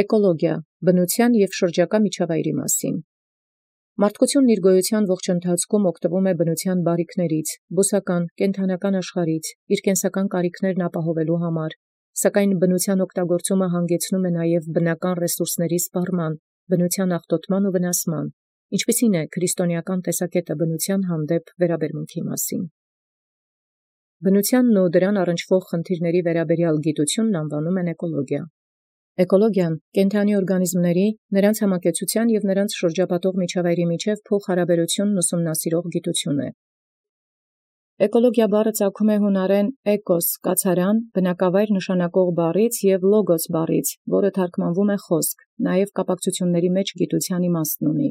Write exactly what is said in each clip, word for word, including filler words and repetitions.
Էկոլոգիա, բնութեան և շրջակա միջավայրի մասին։ Մարդկութիւնն իր գոյութեան ողջ ընթացքում օգտվում է բնութեան բարիքներից, բուսական, կենդանական աշխարհից, իր կենսական կարիքներն ապահովելու համար, սակայն բնութեան օգտագործումը հանգեցնում է նաև բնական ռեսուրսների սպառման, բնութեան աղտոտման ու վնասման, ինչպիսին է քրիստոնեական տեսակետը բնութեան հանդեպ վերաբերմունքի մասին։ Բնութեանն ու դրան առնչվող խնդիրների վերաբերյալ գիտութիւնն անվանում են էկոլոգիա։ Էկոլոգիան կենդանի օրգանիզմների, նրանց համակեցության և նրանց շրջապատող միջավայրի միջև փոխհարաբերությունն ուսումնասիրող գիտութիւն է։ Էկոլոգիա բառը ծագում է հունարեն էկոս կացարան, բնակավայր նշանակող բառից և լոգոս բառից, որը թարգմանվում է խոսք, նաև կապակցությունների մեջ գիտութեան իմաստն ունի։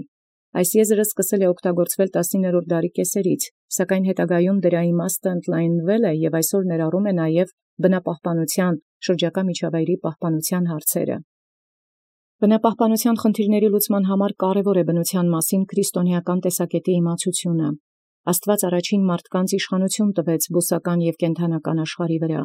Այս եզրը սկսել է օգտագործվել տասնիններորդ դարի կեսերից, սակայն հետագայում դրա իմաստը ընդլայնվել է և այսօր ներառում է նաև բնապահպանության, շրջակա միջավայրի պահպանության հարցերը։ Բնապահպանության խնդիրների լուծման համար կարևոր է բնութեան մասին քրիստոնեական տեսակետի իմացությունը։ Աստուած առաջին մարդկանց իշխանություն տվեց բուսական և կենդանական աշխարհի վրա։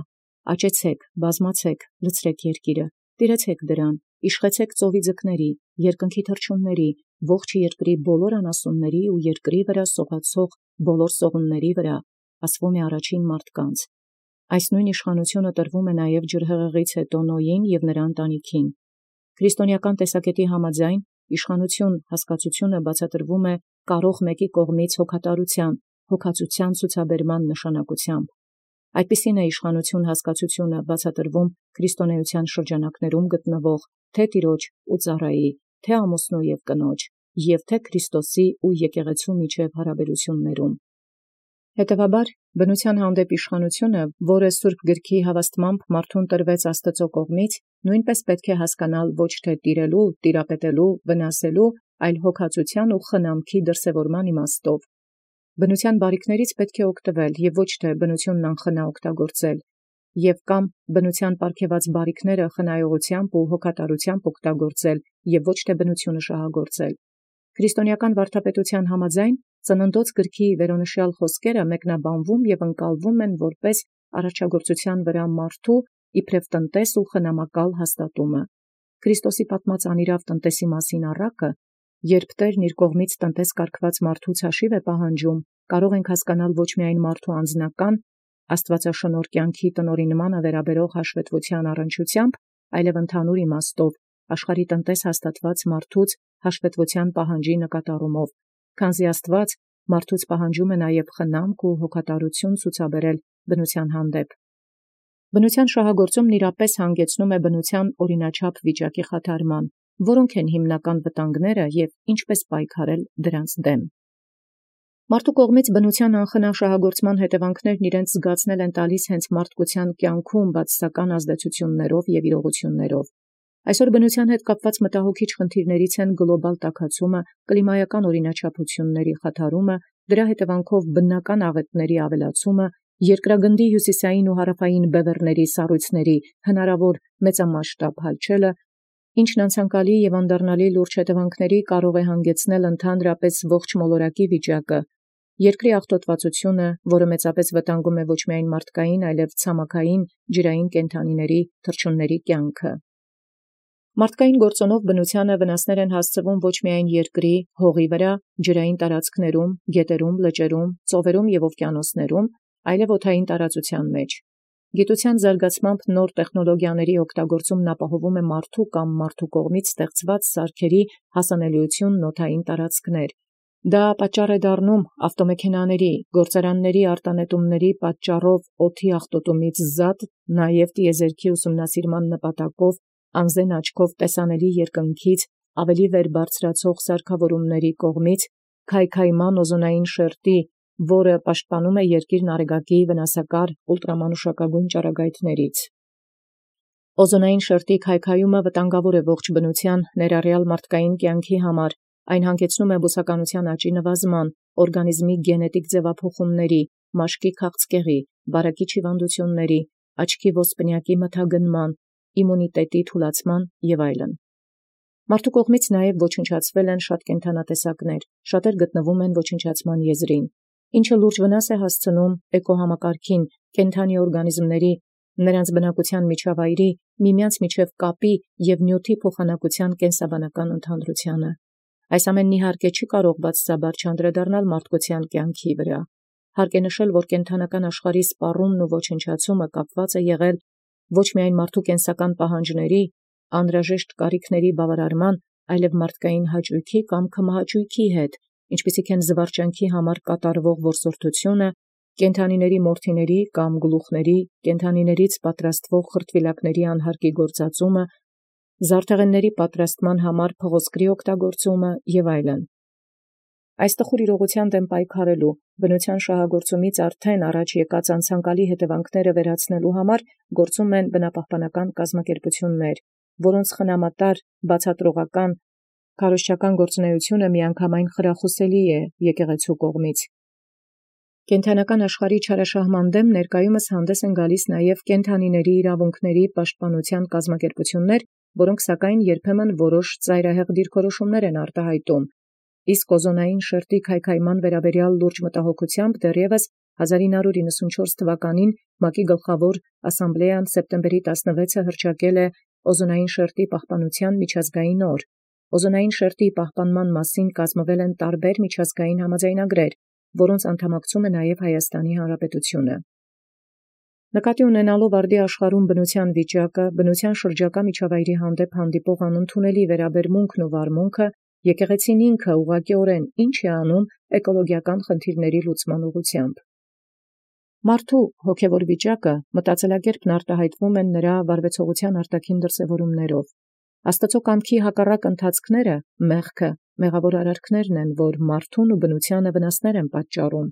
Աճեցեք, բազմացեք, լցրեք երկիրը, տիրեցեք դրան, իշխեցեք ծովի ձկների, երկնքի թռչունների, ողջ երկրի բոլոր անասունների ու երկրի վրա սողացող բոլոր սողունների վրա, ասվում է առաջին մարդկանց։ Այս նույն իշխանությունը տրվում է նաև ջրհեղեղից հետո Նոյին և նրա ընտանիքին։ Քրիստոնեական տեսակետի համաձայն իշխանություն հասկացությունը բացատրվում է կարող մեկի կողմից հոգատարության, հոգածության ցուցաբերման նշանակությամբ։ Այդպիսին է իշխանություն հասկացությունը բացատրվում քրիստոնեության շրջանակներում գտնվող թե տիրոջ ու ծառայի, թե ամուսնու և կնոջ, և թե Քրիստոսի ու եկեղեցու միջև հարաբերություններում։ Հետևաբար, բնութեան հանդեպ իշխանությունը, որը Սուրբ գրքի հավաստմամբ մարդուն տրվեց Աստծո կողմից, նույնպես պետք է հասկանալ ոչ թե տիրելու, տիրապետելու, վնասելու, այլ հոգածության ու խնամքի դրսևորման իմաստով։ Բնութեան բարիքներից պետք է օգտվել և ոչ թե բնութիւնն անխնա օգտագործել, և կամ բնութեան պարգևած բարիքները խնայողությամբ ու հոգատարությամբ օգտագործել և ոչ թե բնութիւնը շահագործել։ Քրիստոնեական վարդապետութեան համաձայն Ծննդոց գրքի վերոնշյալ խոսքերը մեկնաբանվում և ընկալվում են որպես արարչագործութեան վրա մարդու իբրև տնտես ու խնամակալ հաստատումը։ Քրիստոսի պատմած անիրաւ տնտեսի մասին առակը, երբ Տերն իր կողմից տնտես կարգված մարդուց հաշիվ է պահանջում, կարող ենք հասկանալ ոչ միայն մարդու անձնական, աստվածաշնորհ կյանքի տնօրինմանը վերաբերող հաշվետվութեան առնչությամբ, այլև ընդհանուր իմաստով աշխարհի տնտես հաստատված մարդուց հաշվետվութեան պահանջի նկատառումով, քանզի Աստուած մարդուց պահանջում է նաև խնամք ու հոգատարություն ցուցաբերել բնութեան հանդեպ։ Բնութեան շահագործումն իրապես հանգեցնում է բնութեան օրինաչափ վիճակի խաթարման, որոնք են հիմնական վտանգները և ինչպես պայքարել դրանց դեմ։ Մարդու կողմից բնութեան անխնա շահագործման հետևանքներն իրենց զգացնել են տալիս հենց մարդկության կյանքում բացասական ազդեցություններով և իրողություններով։ Այսօր բնութեան հետ կապված մտահոգիչ խնդիրներից են գլոբալ տաքացումը, կլիմայական օրինաչափությունների խաթարումը, դրա հետևանքով բնական աղետների ավելացումը, երկրագնդի հյուսիսային ու հարավային բևեռների սառույցների հնարավոր մեծամասշտաբ հալչելը, ինչն անցանկալի և անդառնալի լուրջ հետևանքների կարող է հանգեցնել ընդհանրապես ողջ մոլորակի վիճակը, երկրի աղտոտվածությունը, որը մեծապես վտանգում է ոչ միայն մարդկային, այլև ցամաքային, ջրային կենդանիների, թռչունների կյանքը։ Մարդկային գործոնով բնութեանը վնասներ են հասցվում ոչ միայն երկրի, հողի վրա, ջրային տարածքներում, գետերում, լճերում, ծովերում և օվկիանոսներում, այլև օդային տարածության մեջ։ Գիտության զարգացմամբ նոր տեխնոլոգիաների օգտագործումն ապահովում է մարդու կամ մարդու կողմից ստեղծված սարքերի հասանելիությունն օդային տարածքներ։ Դա պատճառ է դառնում ավտոմեքենաների, գործարանների արտանետումների պատճառով օդի աղտոտումից զատ, նաև տիեզերքի ուսումնասիրման նպատակով անզեն աչքով տեսանելի երկնքից ավելի վեր բարձրացող սարքավորումների կողմից քայքայման օզոնային շերտի, որը պաշտպանում է երկիրն արեգակի վնասակար ուլտրամանուշակագույն ճառագայթներից։ Օզոնային շերտի քայքայումը վտանգավոր է ողջ բնութեան, ներառյալ մարդկային կյանքի համար, այն հանգեցնում է բուսականության աճի նվազման, օրգանիզմի գենետիկ ձևափոխումների, մաշկի քաղցկեղի, վարակիչ հիվանդությունների, աչքի ոսպնյակի մթագնման, իմունիտետի թուլացման և այլն։ Մարդու կողմից նաև ոչնչացվել են շատ կենդանատեսակներ, շատեր գտնվում են ոչնչացման եզրին, ինչը լուրջ վնաս է հասցնում էկոհամակարգին, կենդանի օրգանիզմների, նրանց բնակության միջավայրի, միմյանց միջև կապի և նյութի փոխանակության կենսաբանական ընդհանրությանը։ Այս ամենն իհարկե չի կարող բացասաբար չանդրադառնալ մարդկության կյանքի վրա։ Հարկ է նշել, որ կենդանական աշխարհի սպառումն ու ոչնչացումը կապված է եղել ոչ միայն մարդու կենսական պահանջների, անհրաժեշտ կարիքների բավարարման, այլև մարդկային հաճույքի կամ քմահաճույքի հետ, ինչպիսիք են զվարճանքի համար կատարվող որսորդությունը, կենդանիների մորթիների կամ գլուխների, կենդանիներից պատրաստվող խրտվիլակների անհարկի գործածումը, զարդեղենների պատրաստման համար փղոսկրի օգտագործումը և այլն։ Այս տխուր իրողության դեմ պայքարելու, բնության շահագործումից արդեն առաջ եկած անցանկալի հետևանքները վերացնելու համար գործում են բնապահպանական կազմակերպություններ, որոնց խնամատար, բացատրողական, քարոզչական գործունեությունը միանգամայն խրախուսելի է եկեղեցու կողմից։ Կենդանական աշխարհի չարաշահման դեմ ներկայումս հանդես են գալիս նաև կենդանիների իրավունքների պաշտպանության կազմակերպություններ, որոնք սակայն երբեմն որոշ ծայրահեղ դիրքորոշումներ են արտահայտում, իսկ օզոնային շերտի քայքայման վերաբերյալ լուրջ մտահոգությամբ դեռևս հազար ինը հարյուր իննսունչորս թվականին ՄԱԿ-ի գլխավոր ասամբլեան սեպտեմբերի տասնվեցը հռչակել է օզոնային շերտի պահպանության միջազգային օր։ Օզոնային շերտի պահպանման մասին կազմվել են տարբեր միջազգային համաձայնագրեր, որոնց անդամակցում է նաև Հայաստանի Հանրապետությունը։ Նկատի ունենալով արդի աշխարհում բնության վիճակը, բնության շրջակա միջավայրի հանդեպ հանդիպող անընդունելի վերաբերմունքն ու վարմունքը, եկեղեցին ինքը ուղղակիորեն ինչ է անում էկոլոգիական խնդիրների լուծման ուղղությամբ։ Մարդու հոգևոր վիճակը մտածելակերպն արտահայտվում են նրա վարվեցողության արտաքին դրսևորումներով։ Աստծո կամքի հակառակ ընթացքները, մեղքը, մեղավոր արարքներն են, որ մարդուն ու բնությանը վնասներ են պատճառում։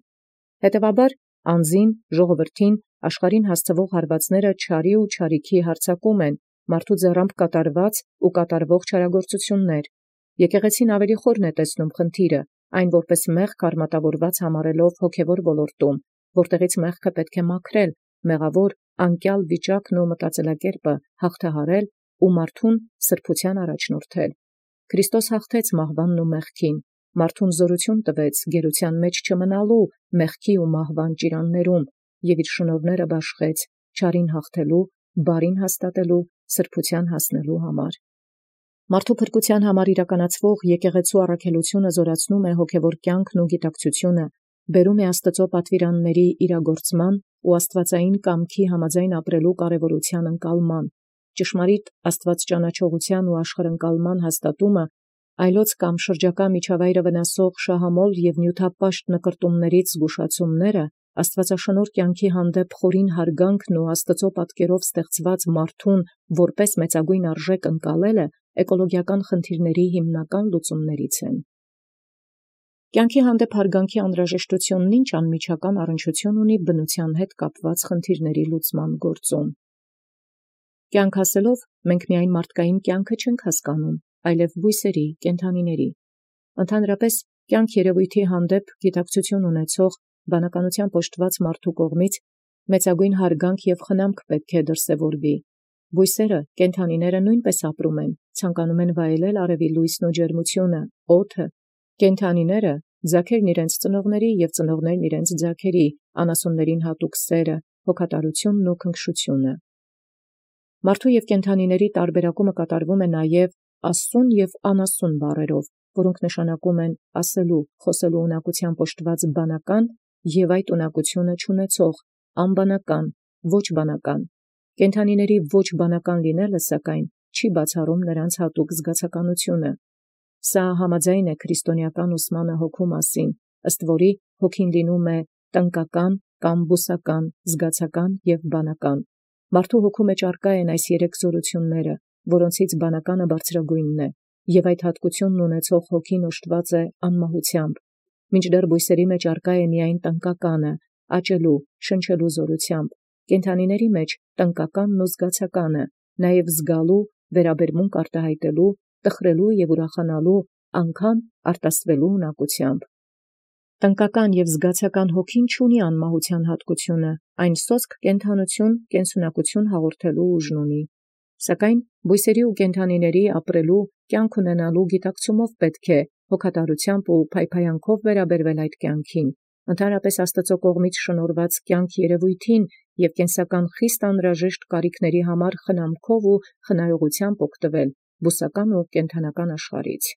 Հետևաբար, անձին, ժողովրդին, աշխարհին հասցվող հարվածները չարի ու չարիքի հարձակում են, մարդու ձեռամբ կատարված ու կատարվող չարագործություններ։ Եկեղեցին ավելի խորն է տեսնում խնդիրը, այն որպես մեղք արմատավորված համարելով հոգևոր ոլորտում, որտեղից մեղքը պետք է մաքրել, մեղավոր, անկյալ վիճակն ու մտածելակերպը հաղթահարել ու մարդուն սրբության առաջնորդել։ Քրիստոս հաղթեց մահվանն ու մեղքին, մարդուն զորություն տվեց գերության մեջ չմնալու մեղքի ու մահվան ճիրաններում և իր շնորհները բաշխեց չարին հաղթելու, բարին հաստատելու, սրբության հասնելու համար։ Մարդու փրկության համար իրականացվող եկեղեցու առաքելությունը զորացնում է հոգևոր կյանքն ու գիտակցությունը, բերում է Աստծո պատվիրանների իրագործման ու աստվածային կամքի համաձայն ապրելու կարևորության ընկալման, ճշմարիտ աստվածճանաչողության ու աշխարհընկալման հաստատումը, այլոց կամ շրջակա միջավայրը վնասող շահամոլ և նյութապաշտ նկրտումներից զգուշացումները, աստվածաշնորհ կյանքի հանդեպ խորին հարգանքն ու Աստծո պատկերով ստեղծված մարդուն որպես մեծագույն արժեք ընկալելը էկոլոգիական խնդիրների հիմնական լուծումներից են։ Կյանքի հանդեպ հարգանքի անհրաժեշտությունն ինչ անմիջական առնչություն ունի բնության հետ կապված խնդիրների լուծման գործում։ Կյանք ասելով մենք միայն մարդկային կյանքը չենք հասկանում, այլև բույսերի, կենդանիների։ Ընդհանրապես, կյանք երևույթի հանդեպ գիտակցություն ունեցող, բանականության պոշտված մարդու կողմից մեծագույն հարգանք և խնամք պետք է դրսևորվի։ Բույսերը, կենդանիները նույնպես ապրում են, ցանկանում են վայելել արևի լույսն ու ջերմությունը, օդը։ Կենդանիները, ձագերն իրենց ծնողների և ծնողներն իրենց ձագերի, անասուններին հատուկ սերը, հոգատարությունն ու քնքշությունը։ Մարդու և կենդանիների տարբերակումը կատարվում է նաև ասուն և անասուն բառերով, որոնք նշանակում են ասելու, խոսելու ունակությամբ օժտված բանական և այդ ունակությունը չունեցող, անբանական, ոչ բանական։ Կենդանիների ոչ բանական լինելը, սակայն, չի բացառում նրանց հատուկ զգացականությունը։ Սա համաձայն է քրիստոնեական ուսմանը հոգու մասին, ըստ որի հոգին լինում է տնկական կամ բուսական, զգացական և բանական։ Մարդու հոգու մեջ առկա են այս երեք զորությունները, որոնցից բանականը բարձրագույնն է, և այդ հատկությունն ունեցող հոգին օժտված է անմահությամբ, մինչդեռ բույսերի մեջ առկա է միայն տնկականը, աճելու, շնչելու զորությամբ, կենդանիների մեջ տնկականն ու զգացականը, նաև զգալու, վերաբերմունք արտահայտելու, տխրելու և ուրախանալու, անգամ արտասվելու ունակությամբ։ Տնկական և զգացական հոգին չունի անմահության հատկությունը, այն սոսկ կենդանություն, կենսունակություն հաղորդելու ուժն ունի։ Սակայն բույսերի ու կենդանիների ապրելու, կյանք ունենալու գիտակցումով պետք է հոգատարությամբ ու փայփայանքով վերաբերվել այդ կյանքին, ընդհանրապես Աստծո կողմից շնորհված կյանք երևույթին և կենսական խիստ անհրաժեշտ կարիքների համար խնամքով ու խնայողությամբ օգտվել բուսական ու կենդանական աշխարհից։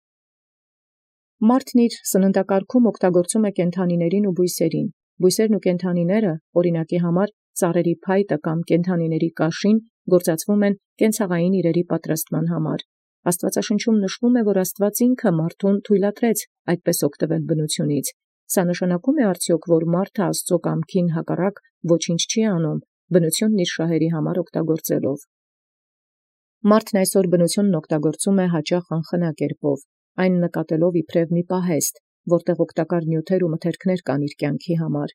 Մարդն իր սննդակարգում օգտագործում է կենդանիներին ու բույսերին։ Բույսերն ու կենդանիները, օրինակի համար, ծառերի փայտը կամ կենդանիների կաշին գործածվում են կենցաղային իրերի պատրաստման համար։ Աստվածաշնչում նշվում է, որ Աստված ինքը մարդուն թույլատրեց այդպես օգտվել բնությունից։ Սա նշանակում է արդյոք, որ մարդը Աստծո կամքին հակառակ ոչինչ չի անում, բնությունն իր շահերի համար օգտագործելով։ Մարդն այսօր բնությունն օգտագործում է հաճախ անխնա կերպով, այն նկատելով իբրև մի պահեստ, որտեղ օգտակար նյութեր ու մթերքներ կան իր կյանքի համար։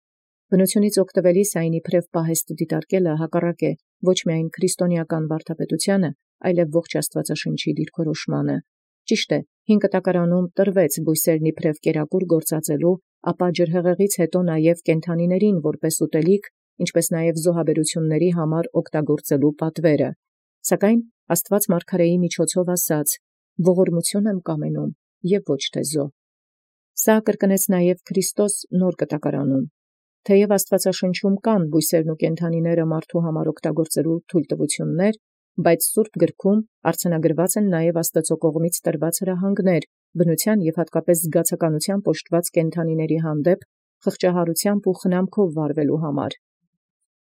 Բնությունից օգտվելիս այն իբրև պահեստ դիտարկելը հակառակ է ոչ միայն քրիստոնեական վարդապետությանը, այլև ողջ Աստվածաշնչի դիրքորոշմանը։ Ճիշտ է, հին կտակարանում տրվեց բույսերն իբրև կերակուր գործածելու, ապա ջրհեղեղից հետո նաև կենդանիներին որպես ուտելիք, ինչպես նաև զոհաբերությունների համար օգտագործելու պատվերը։ Սակայն Աստված մարգարեի միջոցով ասաց. «Ողորմություն եմ կամենում և ոչ թե զոհ»։ Սա կրկնեց նաև Քրիստոս նոր կտակարանում։ Թեև Աստվածաշնչում կան բույսերն ու կենդանիները մարդու համար օգտագործելու թույլտվություններ, բայց Սուրբ գրքում արձանագրված են նաև Աստծո կողմից տրված հրահանգներ բնության և հատկապես զգացականությամբ օժտված կենդանիների հանդեպ խղճահարությամբ ու խնամքով վարվելու համար։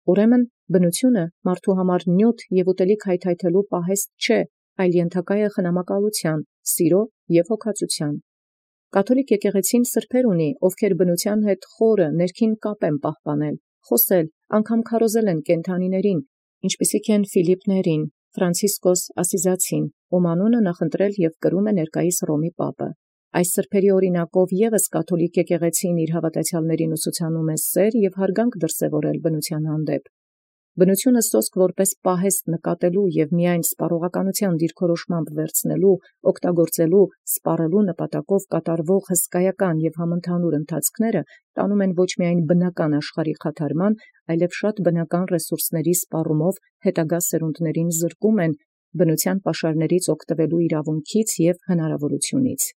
Ուրեմն բնությունը մարդու համար նյութ և ուտելիք հայթայթելու պահեստ չէ, այլ ենթակա է խնամակալության, սիրո և հոգածության։ Կաթոլիկ եկեղեցին սրբեր ունի, ովքեր բնության հետ խորը ներքին կապ են պահպանել, խոսել, անգամ քարոզել են կենդանիներին, ինչպիսիք են Ֆիլիպպներին, Ֆրանցիսկոս Ասիզացին, ում անունը նախընտրել և կրում է ներկայիս Հռոմի պապը։ Այս սրբերի օրինակով ևս կաթոլիկ եկեղեցին իր հավատացյալներին ուսուցանում է սեր և հարգանք դրսևորել բնության հանդեպ։ Բնությունը սոսկ որպես պահեստ նկատելու և միայն սպառողականության դիրքորոշմամբ վերցնելու, օգտագործելու, սպառելու նպատակով կատարվող հսկայական և համընդհանուր ընթացքները տանում են ոչ միայն բնական աշխարհի խաթարման, այլև շատ բնական ռեսուրսների սպառումով հետագա սերունդներին զրկում են բնության պաշարներից օգտվելու իրավունքից և հնարավորությունից։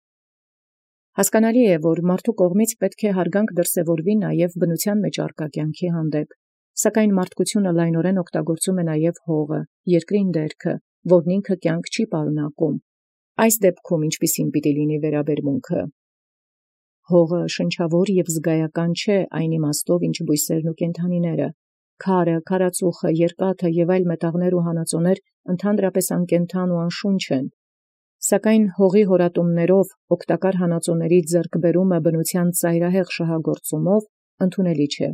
Հասկանալի է, որ մարդու կողմից պետք է հարգանք դրսևորվի նաև բնության մեջ առկա կյանքի հանդեպ, սակայն մարդկությունը լայնորեն օգտագործում է նաև հողը, երկրին դերքը, որն ինքը կյանք չի պարունակում։ Այս դեպքում ինչպիսին պիտի լինի վերաբերմունքը։ Հողը շնչավոր և զգայական չէ այն իմաստով, ինչ բույսերն ու կենդանիները։ Քարը, քարածուխը, երկաթը և այլ մետաղներ ու հանածոներ ընդհանրապես անկենդան ու անշունչ են։ Սակայն հողի հորատումներով օգտակար հանածոների ձեռքբերումը բնության ծայրահեղ շահագործումով ընդունելի չէ։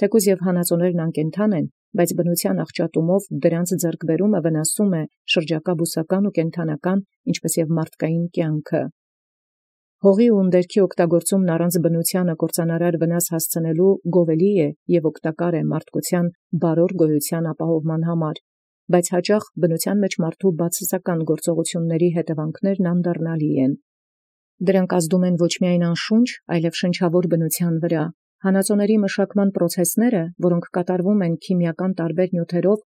Թեկուզ և հանածոներն անկենդան են, բայց բնության աղճատումով դրանց ձեռքբերումը վնասում է շրջակա բուսական ու կենդանական, ինչպես և մարդկային կյանքը։ Հողի ու ունդերքի օգտագործումն առանց բնությանը կործանարար վնաս հասցնելու գովելի է և օգտակար է մարդկության բարոր գոյության ապահովման համար, բայց հաճախ բնության մեջ մարդու բացասական գործողությունների հետևանքներն անդառնալի են։ Դրանք ազդում են ոչ միայն անշունչ, այլև շնչավոր բնության վրա։ Հանածոների մշակման պրոցեսները, որոնք կատարվում են քիմիական տարբեր նյութերով,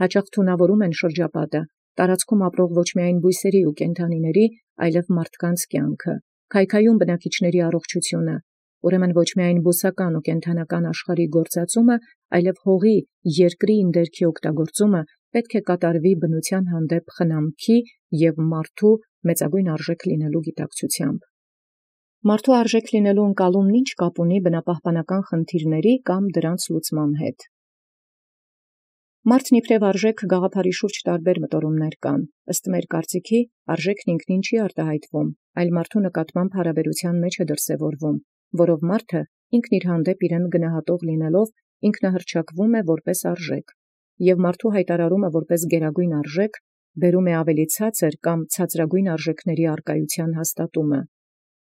հաճախ թունավորում են շրջապատը, տարածքում ապրող ոչ միայն բույսերի ու կենդանիների, այլև մարդկանց կյանքը, քայքայում բնակիչների առողջությունը։ Ուրեմն ոչ միայն բուսական ու կենդանական աշխարհի գործածումը, այլև հողի, երկրի ինդերքի օգտագործումը պետք է կատարվի բնության հանդեպ խնամքի և մարդու մեծագույն արժեք լինելու գիտակցությամբ։ Մարդու արժեք լինելու ընկալումն ինչ կապ ունի բնապահպանական խնդիրների կամ դրանց լուծման հետ։ Մարդն իբրև արժեք գաղափարի շուրջ տարբեր մտորումներ կան։ Ըստ մեր կարծիքի, արժեքն ինքնին չի արտահայտվում, այլ մարդու նկատմամբ հարաբերության մեջ է դրսևորվում, որով մարդը ինքն իր հանդեպ իրեն գնահատող լինելով ինքնահռչակվում է որպես արժեք, և մարդու հայտարարումը որպես գերագույն արժեք բերում է ավելի ցածր կամ ցածրագույն արժեքների առկայության հաստատումը։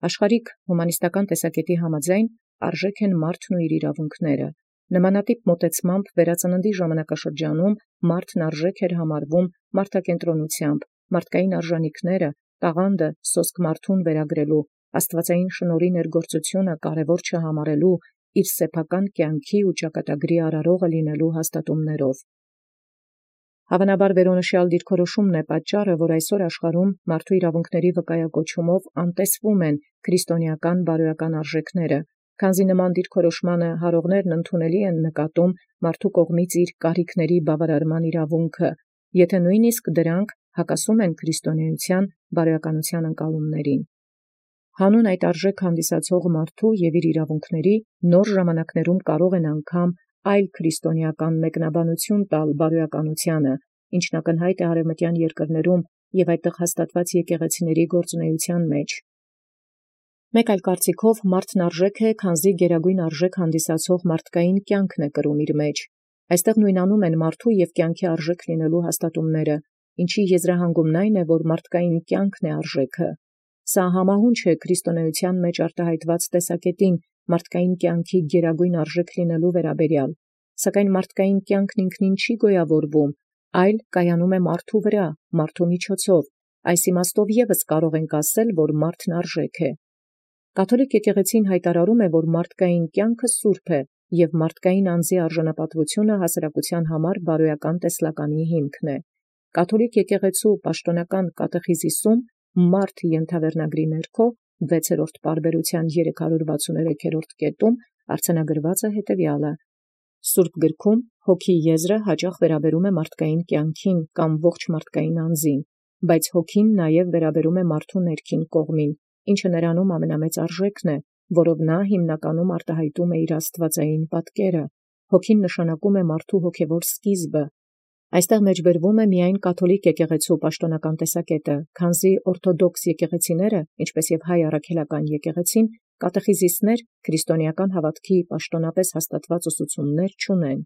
Աշխարհիկ հումանիստական տեսակետի համաձայն արժեք են մարդն ու իր իրավունքները։ Նմանատիպ մոտեցմամբ վերածննդի ժամանակաշրջանում մարդն արժեք էր համարվում մարդակենտրոնությամբ, մարդկային արժանինքները, տաղանդը սոսկ մարդուն վերագրելու, աստվածային շնորհի ներգործությունը կարևոր չհամարելու, իր սեփական կյանքի ու ճակատագրի արարողը լինելու հաստատումներով։ Հավանաբար վերոնշյալ դիրքորոշումն է պատճառը, որ այսօր աշխարհում մարդու իրավունքների վկայակոչումով անտեսվում են քրիստոնեական բարոյական արժեքները, Քանզի նման դիրքորոշմանը հարողներն ընդունելի են նկատում մարդու կողմից իր կարիքների բավարարման իրավունքը, եթե նույնիսկ դրանք հակասում են քրիստոնեության բարոյականության ընկալումներին։ Հանուն այդ արժեք հանդիսացող մարդու և իր իրավունքների նոր ժամանակներում կարող են անգամ այլ քրիստոնեական մեկնաբանություն տալ բարոյականությանը, ինչն ակնհայտ է արևմտյան երկրներում և այդտեղ հաստատված եկեղեցիների գործունեության մեջ։ Մեկ այլ կարծիքով մարդն արժեք է, քանզի գերագույն արժեք հանդիսացող մարդկային կյանքն է կրում իր մեջ։ Այստեղ նույնանում են մարդու և կյանքի արժեք լինելու հաստատումները, ինչի եզրահանգումն այն է, որ մարդկային կյանքն է արժեքը։ Սա համահունչ է քրիստոնեության մեջ արտահայտված տեսակետին մարդկային կյանքի գերագույն արժեք լինելու վերաբերյալ, սակայն մարդկային կյանքն ինքնին չի գոյավորվում, այլ կայանում է մարդու վրա, մարդու միջոցով։ Այս իմաստով ևս կարող ենք ասել, որ մարդն արժեք է։ Կաթոլիկ եկեղեցին հայտարարում է, որ մարդկային կյանքը սուրբ է, և մարդկային անձի արժանապատվությունը հասարակության համար բարոյական տեսլականի հիմքն է։ Կաթոլիկ եկեղեցու պաշտոնական կատեխիզիսում մարդ ենթավերնագրի ներքո վեցերորդ պարբերության երեք հարյուր վաթսունութերորդ կետում արձանագրված է հետևյալը. Սուրբ գրքում հոգի եզրը հաճախ վերաբերում է մարդկային կյանքին կամ ողջ մարդկային անձին, բայց հոգին նաև վերաբերում է մարդու ներքին կողմին, ինչը նրանում ամենամեծ արժեքն է, որով նա հիմնականում արտահայտում է իր աստվածային պատկերը։ Հոգին նշանակում է մարդու հոգևոր սկիզբը։ Այստեղ մեջբերվում է միայն կաթոլիկ եկեղեցու պաշտոնական տեսակետը, քանզի օրթոդոքս եկեղեցիները, ինչպես և հայ առաքելական եկեղեցին, կատեխիզիսներ քրիստոնեական հավատքի պաշտոնապես հաստատված ուսուցումներ չունեն։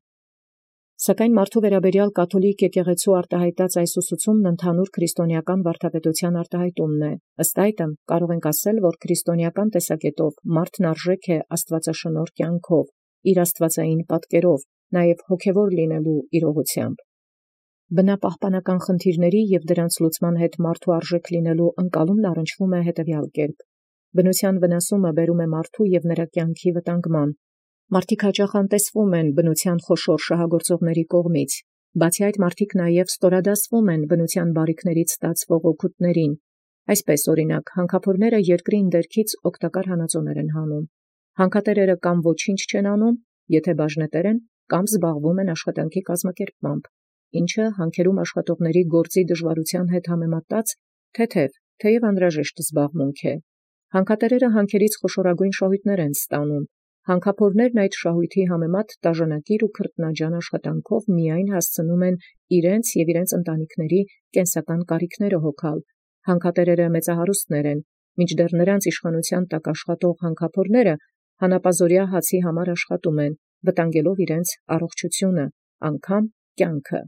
Սակայն մարդու վերաբերյալ կաթոլիկ եկեղեցու արտահայտած այս ուսուցումն ընդհանուր քրիստոնեական վարդապետության արտահայտումն է։ Ըստ այդմ կարող ենք ասել, որ քրիստոնեական տեսակետով մարդն արժեք է աստվածաշնորհ կյանքով, իր աստվածային պատկերով, նաև հոգևոր լինելու իրողությամբ։ Բնապահպանական խնդիրների և դրանց լուծման հետ մարդու արժեք լինելու ընկալումն առնչվում է հետևյալ կերպ. բնության վնասումը բերում է մարդու և նրա կյանքի վտանգման։ Մարդիկ հաճախ անտեսվում են բնության խոշոր շահագործողների կողմից։ Բացի այդ, մարդիկ նաև ստորադասվում են բնության բարիքներից ստացվող օգուտներին։ Այսպես, օրինակ, հանքափորները երկրի ընդերքից օգտակար հանածոներ են հանում։ Հանքատերերը կամ ոչինչ չեն անում, եթե բաժնետեր են, կամ զբաղվում են աշխատանքի կազմակերպմամբ, ինչը հանքերում աշխատողների գործի դժվարության հետ համեմատած թեթև, թեև անհրաժեշտ զբաղմունք է։ Հանքատերերը հանքերից խոշորագույն շահույթներ են ստանում։ Հանքափորներն այդ շահույթի համեմատ տաժանակիր ու քրտնաջան աշխատանքով միայն հասցնում են իրենց և իրենց ընտանիքների կենսական կարիքները հոգալ։ Հանքատերերը մեծահարուստներ են, մինչդեռ նրանց իշխանության տակ աշխատող հանքափորները հանապազօրյա հացի համար աշխատում են, վտանգելով իրենց առողջությունը, անգամ կյանքը։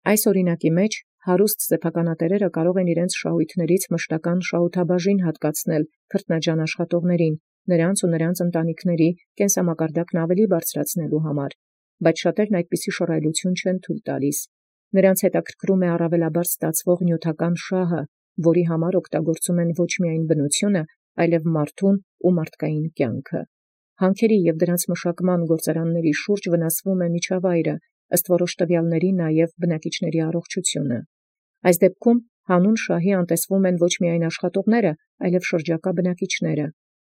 Այս օրինակի մեջ հարուստ սեփականատերերը կարող են իրենց շահույթներից մշտական շահութաբաժին հատկացնել քրտնաջան աշխատողներին, նրանց ու նրանց ընտանիքների կենսամակարդակն ավելի բարձրացնելու համար, բայց շատերն այդպիսի շռայլություն չեն թույլ տալիս։ Նրանց հետաքրքրում է առավելաբար ստացվող նյութական շահը, որի համար օգտագործում են ոչ միայն բնությունը, այլև մարդուն ու մարդկային կյանքը։ Հանքերի և դրանց մշակման գործարանների շուրջ վնասվում է միջավայրը, ըստ որոշ տվյալների նաև բնակիչների առողջությունը։ Այս դեպքում հանուն շահի անտեսվում են ոչ միայն աշխատողները, այլև շրջակա բնակիչները։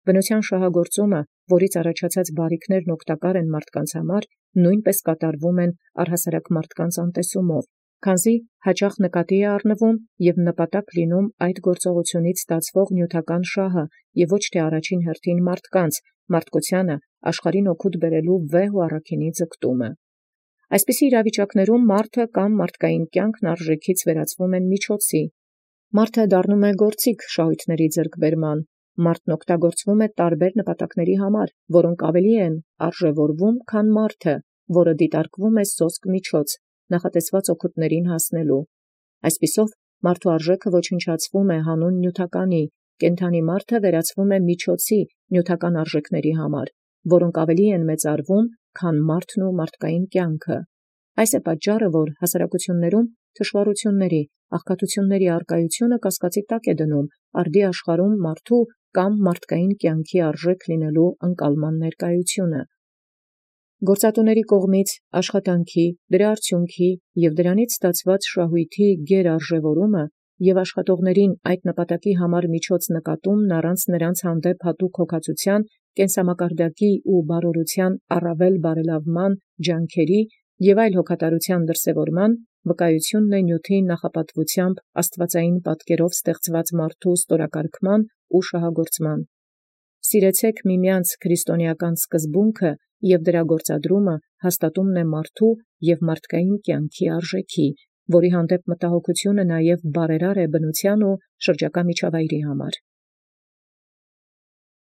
Բնության շահագործումը, որից առաջացած բարիքներն օգտակար են մարդկանց համար, նույնպես կատարվում են առհասարակ մարդկանց անտեսումով, քանզի հաճախ նկատի է առնվում և նպատակ լինում այդ գործողությունից ստացվող նյութական շահը և ոչ թե առաջին հերթին մարդկանց, մարդկությանը աշխարհին օգուտ բերելու վեհ ու առաքինի ձգտումը։ Այսպիսի իրավիճակներում մարդը կամ մարդկային կյանքն արժեքից վերածվում են միջոցի։ Մարդը դառնում է գործիք շահույթների ձեռքբերման։ Մարդն օգտագործվում է տարբեր նպատակների համար, որոնք ավելի են արժևորվում, քան մարդը, որը դիտարկվում է սոսկ միջոց, նախատեսված օգուտներին հասնելու։ Այսպիսով, մարդու արժեքը ոչնչացվում է հանուն նյութականի, կենդանի մարդը վերածվում է միջոցի նյութական արժեքների համար, որոնք ավելի են մեծարվում, քան մարդն ու մարդկային կյանքը։ Այս է պատճառը, որ հասարակություններում թշվառությունների, աղքատությունների առկայությունը կասկածի տակ է դնում արդի աշխարհում մարդու կամ մարդկային կյանքի արժեք լինելու ընկալման ներկայությունը։ Գործատուների կողմից աշխատանքի, դրա արդյունքի և դրանից ստացված շահույթի գերարժևորումը և աշխատողացն այդ նպատակի համար միջոց նկատումն առանց նոցին հանդեպ հատուկ հոգացութեան, կենսամակարդակի և բարօրութեան առավել բարելաւման ջանքերի և այլ հոգատարութեան դրսևորման, վկայութիւնն է նիւթի նախապատվութեամբ աստուածեղէն պատկերով ստեղծուած մարդու ստորակարգման և շահագործման։ Սիրեցէք միմեանց քրիստոնեական սկզբունքը և դրա գործադրումը հաստատումն է մարդու և մարդկային կյանքի արժեքի, որի հանդեպ մտահոգութիւնը նաև բարերար է բնութեան և շրջակա միջավայրի համար։